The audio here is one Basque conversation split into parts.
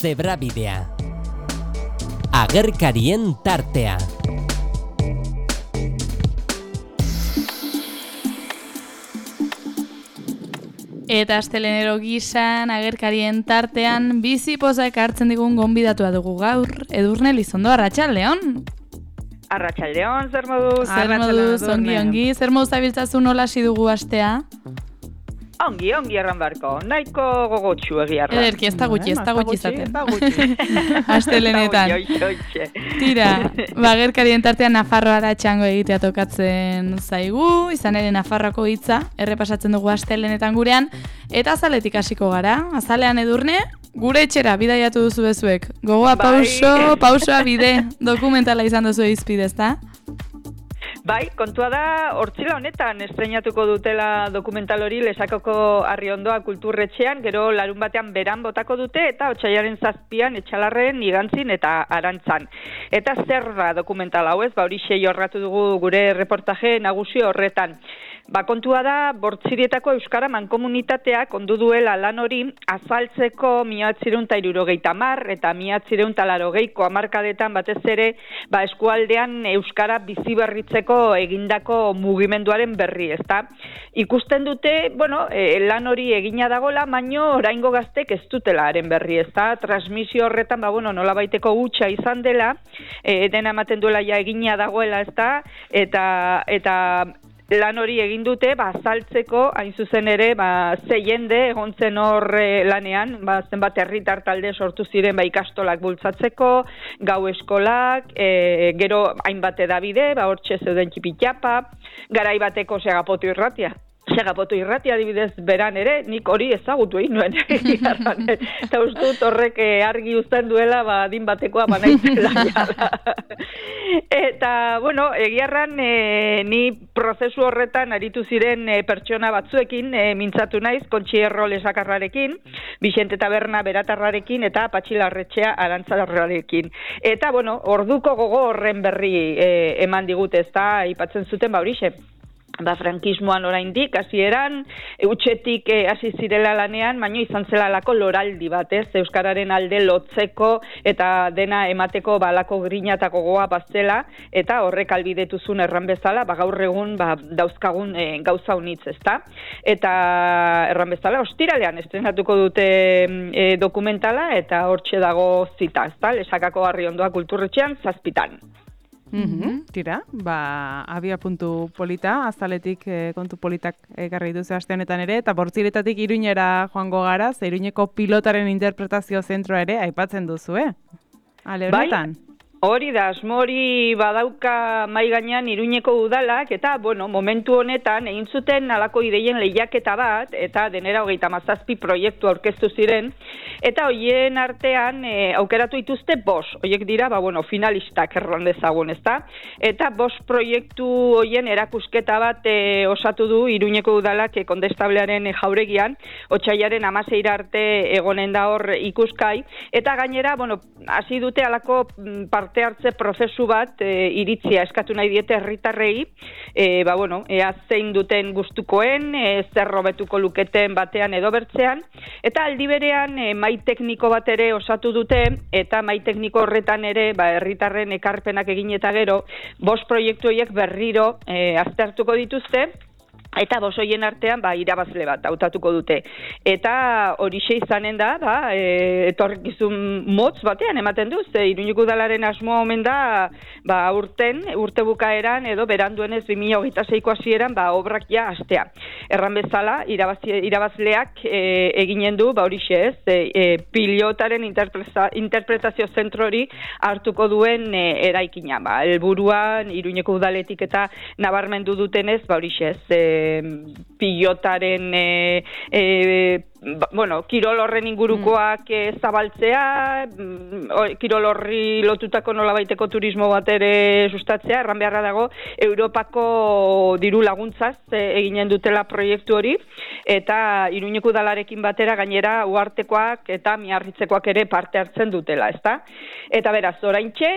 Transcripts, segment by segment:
Zebrabidea. Agerkarien tartea. Eta astelenero gisan, agerkarien tartean, bizi pozak hartzen digun gonbidatua dugu gaur. Edurne Lizondo, arratsaldeon. Arratsaldeon, zer moduz? Zer moduz, ongi. Zer moduz zabiltzazu nola hasi dugu astea? Ongi erran barko. Nahiko gogotsu egiarra. Ederki, ez da gutxi izaten. Astelenetan. Tira, agerkarien tartean Nafarroara txango egitea tokatzen zaigu, izan ere Nafarroako hitza, errepasatzen dugu astelenetan gurean, eta azaletik hasiko gara. Azalean Edurne, gure etxera bidaiatu duzu bezuek. Gogoa pausoa bide, dokumentala izan duzu izpide, ezta? Bai, kontua da, hortzila honetan estreinatuko dutela dokumental hori Lesakako Arriondoa kulturretxean, gero larun batean beran botako dute, eta otsailaren 7an Etxalarren, Igantzin eta Arantzan. Eta zer da dokumental hau ez, horixe jorratu dugu gure reportaje nagusi horretan. Kontua da, Bortzirietako Euskara Mankomunitateak ondu duela lan hori azaltzeko 1970 eta 1980ko hamarkadetan batez ere eskualdean Euskara biziberritzeko egindako mugimenduaren berri, ezta? Ikusten dute, lan hori egina dagola, baino oraingo gaztek ez dutela haren berri, ezta? Transmisio horretan, nolabaiteko hutsa izan dela, dena ematen duela ja egina dagoela, ezta? Eta lan hori egin dute, azaltzeko, hain zuzen ere, ze jende egon zen hor lanean, zenbat herritar talde sortu ziren ikastolak bultzatzeko, gau eskolak, gero hainbat edabide, hortxe zeuden txipitxapa, garai bateko Segapoto irratia. Segapoto irratia adibidez beran ere, nik hori ezagutu egin nuen. Eta ustut horrek argi uzten duela, adin batekoa banaitzela. Eta, egiarran ni prozesu horretan aritu ziren pertsona batzuekin, mintzatu naiz, Kontxi Erro Lesakarrarekin, Bixente Taberna Beratarrarekin, eta Patxi Larretxea Arantzarrarekin. Eta, orduko gogo horren berri eman digute, ezta, aipatzen zuten horixe. Frankismoan oraindik hasieran utxetik hasi zirela lanean, baino izan zela lako loraldi bat, euskararen alde lotzeko eta dena emateko balako grina eta gogoa bazela, eta horrek albidetuzun erran bezala, gaur egun dauzkagun gauza unitz, ezta? Eta erran bezala, ostiralean estrenatuko dute dokumentala, eta hortxe dago zita, ezta? Lesakako Arriondoa kulturretxean 7an. Tira, abia puntu polita, azaletik kontu politak ekarri duzu aste honetan ere, eta Bortziretatik Iruñera joango gara, Iruñeko pilotaren interpretazio zentroa ere aipatzen duzu, Ale horretan? Hori da, asmo hori badauka mai gainean Iruñeko udalak, eta, momentu honetan egin zuten halako ideien lehiaketa bat, eta denera 37 proiektu aurkeztu ziren, eta hoien artean aukeratu dituzte 5, hoiek dira, finalistak erran dezagun, ezta? Eta 5 proiektu hoien erakusketa bat osatu du Iruñeko udalak Kondestablearen jauregian, otsailaren 16 arte egonen da hor ikuskai, eta gainera, hasi dute halako parte hartze prozesu bat iritzia eskatu nahi diete herritarrei, ea zein duten gustukoen, zer hobetuko luketen batean edo bertzean, eta aldi berean mai tekniko bat ere osatu dute, eta mai tekniko horretan ere herritarren ekarpenak egin eta gero, 5 proiektu horiek berriro aztertuko dituzte, eta 5 hoien artean irabazle bat hautatuko dute. Eta horixe izanen da, etorkizun motz batean ematen du, Iruñeko udalaren asmoa omen da, urte bukaeran edo beranduenez 2026ko hasieran obrak ja hastea. Erran bezala, irabazleak eginen du, horixe pilotaren interpretazio zentro hori hartuko duen eraikina. Helburuan Iruñeko udaletik eta nabarmendu dutenez, horixe pilotaren kirol horren ingurukoak zabaltzea, kirol horri lotutako nolabaiteko turismo bat ere sustatzea, erran beharra dago Europako diru laguntzaz eginen dutela proiektu hori, eta Iruñeko udalarekin batera gainera uhartekoak eta miarritzekoak ere parte hartzen dutela, ezta? Eta beraz, oraintxe,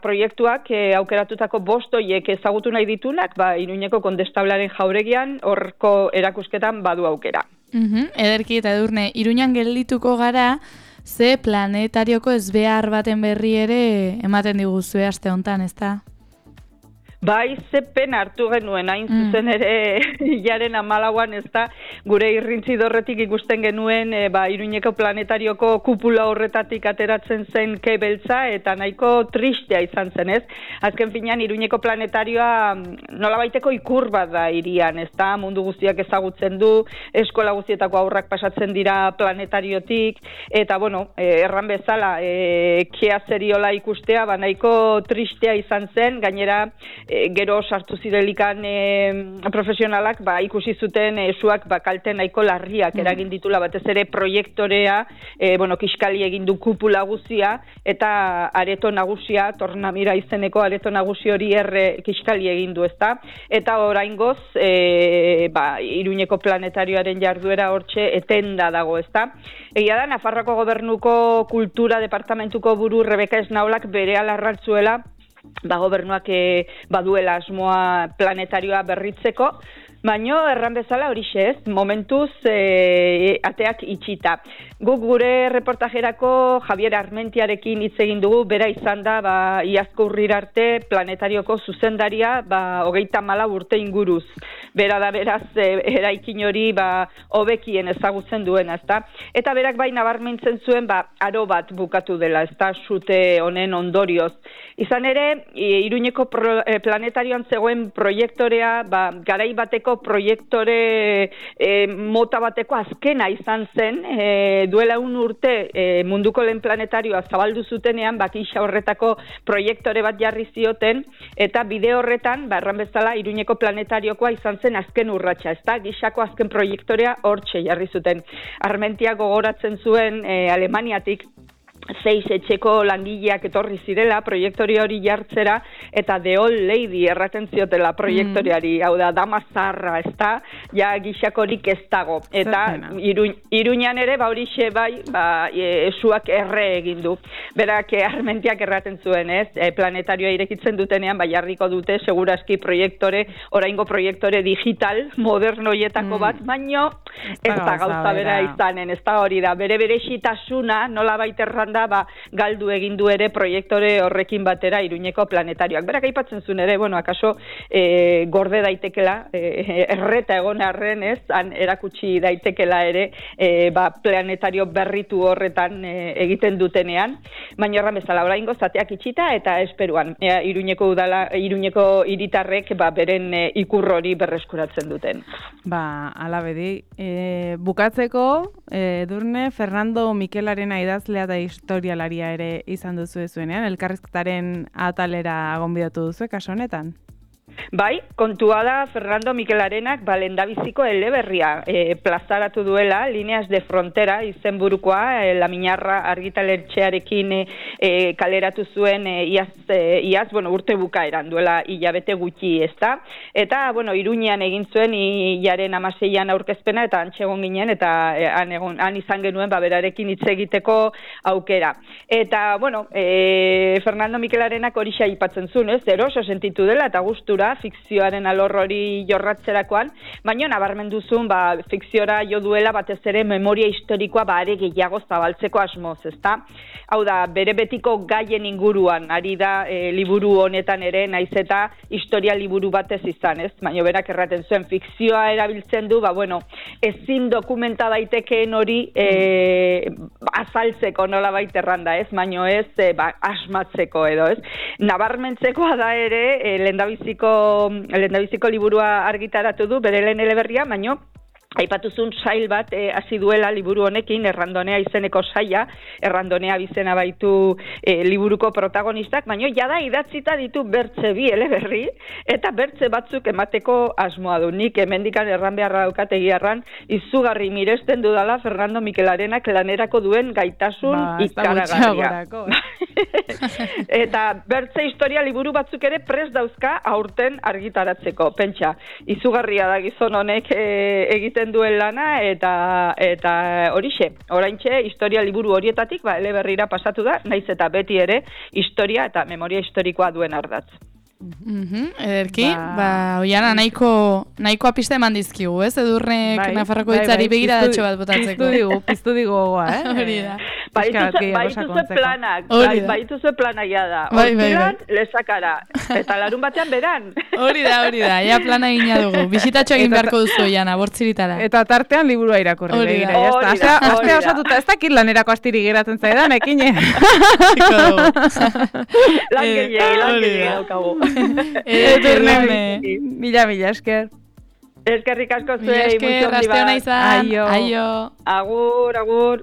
proiektuak aukeratutako 5 horiek ezagutu nahi ditunak, Iruñeko Kondestablearen jauregian horko erakusketan badu aukera. Ederki eta Edurne, Iruñan geldituko gara, ze planetarioko ezbehar baten berri ere ematen diguzue aste hontan, ezta? Bai, zepen hartu genuen, hain zuzen ere hilaren 14an, ez da, gure irrintzi dorretik ikusten genuen Iruñeko planetarioko kupula horretatik ateratzen zen kebeltza, eta nahiko tristea izan zen, ez? Azken finean, Iruñeko planetarioa nolabaiteko ikur bat da irian, ez da, mundu guztiak ezagutzen du, eskola guztietako aurrak pasatzen dira planetariotik, eta, bueno, erran bezala, kea zeriola ikustea, nahiko tristea izan zen, gainera, gero sartu zirelikan profesionalak ikusi zuten suak kalte nahiko larriak eragin ditula, batez ere proiektorea, kiskali egin du kupula guzia, eta areto nagusia, Tornamira izeneko areto nagusi hori kiskali egin du, ezta? Eta oraingoz, Iruñeko planetarioaren jarduera hortxe etenda dago, ezta? Egia da, Nafarroako Gobernuko Kultura Departamentuko buru Rebeka Esnaolak berehala arrantzuela, gobernuak baduela asmoa planetarioa berritzeko, baino erran bezala horixe ez, momentuz ateak itxita. Guk gure reportajerako Javier Armentiarekin hitz egin dugu, bera izan da iazko urrira arte planetarioko zuzendaria 34 urte inguruz. Bera da beraz eraikin hori hobekien ezagutzen duena, ezta? Eta berak nabarmentzen zuen aro bat bukatu dela, ezta, sute honen ondorioz. Izan ere, Iruñeko planetarioan zegoen proiektorea, garai bateko proiektore mota bateko azkena izan zen, duela urte munduko lehen planetarioa zabaldu zutenean, gisa horretako proiektore bat jarri zioten, eta bide horretan, erran bezala, Iruñeko planetariokoa izan zen azken urratsa, ezta? Gisako azken proiektorea hortxe jarri zuten. Armentia gogoratzen zuen Alemaniatik 6 etxeko langileak etorri zirela proiektori hori jartzera, eta The Old Lady erraten ziotela proiektoriari, hau da, dama zarra, ez da, gisakorik ez dago. Eta Iruñan ere, horixe esuak erre egin du. Berak Armentiak erraten zuen, ez? Planetarioa irekitzen dutenean, jarriko dute, seguraski oraingo proiektore digital, modernoietako bat, baino ez da gauza bera izanen, ez da hori da. Bere berezitasuna, nola baiterran galdu egin du ere proiektore horrekin batera Iruñeko planetarioak. Berak aipatzen zuen ere, akaso gorde daitekela, erreta egon arren, ez, han erakutsi daitekela ere planetario berritu horretan egiten dutenean, baina erran bezala oraingo zateak itxita eta esperuan Iruñeko hiritarrek beren ikur hori berreskuratzen duten. Ala bedi. Bukatzeko, Edurne, Fernando Mikelarena idazlea da historialaria ere izan duzu zuenean, elkarrizketaren atalera gonbidatu duzu, kaso honetan? Bai, kontua da Fernando Mikelarenak lendabiziko eleberria plazaratu duela, Líneas de Frontera izenburukoa, Lamiñarra argitaletxearekin kaleratu zuen iaz, urte bukaeran duela hilabete gutxi, ezta? Eta, Iruñean egin zuen hilaren 16an aurkezpena, eta antxegon ginen, eta han izan genuen berarekin hitz egiteko aukera. Eta, Fernando Mikelarenak hori aipatzen zuen, ez? Eroso sentitu dela, eta gustura fikzioaren alor hori jorratzerakoan, baina nabarmendu zuen fikziora jo duela batez ere memoria historikoa are gehiago zabaltzeko asmoz, ezta? Hau da, bere betiko gaien inguruan, ari da liburu honetan ere, naiz eta historia liburu batez izan, ez? Baina berak erraten zuen fikzioa erabiltzen du, ezin dokumenta daitekeen hori azaltzeko nola baiterranda, ez? Baina ez asmatzeko edo, ez? Nabarmentzekoa da ere, lendabiziko liburua argitaratu du, bere lehen eleberria, baino aipatuzun sail bat hasi duela liburu honekin, Errandonea izeneko saia, Errandonea bizena baitu liburuko protagonistak, baina jada idatzita ditu bertze bi eleberri, eta bertze batzuk emateko asmoa du. Nik hemendikan erran beharra daukategiarran, izugarri miresten dudala Fernando Mikelarenak lanerako duen gaitasun ikaragarria. Eta bertze historia liburu batzuk ere prest dauzka aurten argitaratzeko. Pentsa, izugarria da gizon honek egiten duen lana, eta horixe, oraintxe historia liburu horietatik eleberrira pasatu da, naiz eta beti ere historia eta memoria historikoa duen ardatz. Ederki, oiana nahiko apiste eman dizkigu, ez? Edurnek Nafarroko hitzari begira datxo bat botatzeko. Piztu digu gogoa, Hori da. Baituzue planak, baituzue planak jada. Hortilan, lezakara. Eta larun batean beran. Hori da, ja plana egina dugu. Bisitatxo egin beharko duzu, Jana, bortziritara. Eta tartean liburua irakurri. Hori da. Astea osatuta, ez dakit lanerako astiri geratzen zaidan, ekine. Lan gehiagi daukagu. Mila esker. Eskerrik asko zuei, mucho ondi bat. Aio. Agur.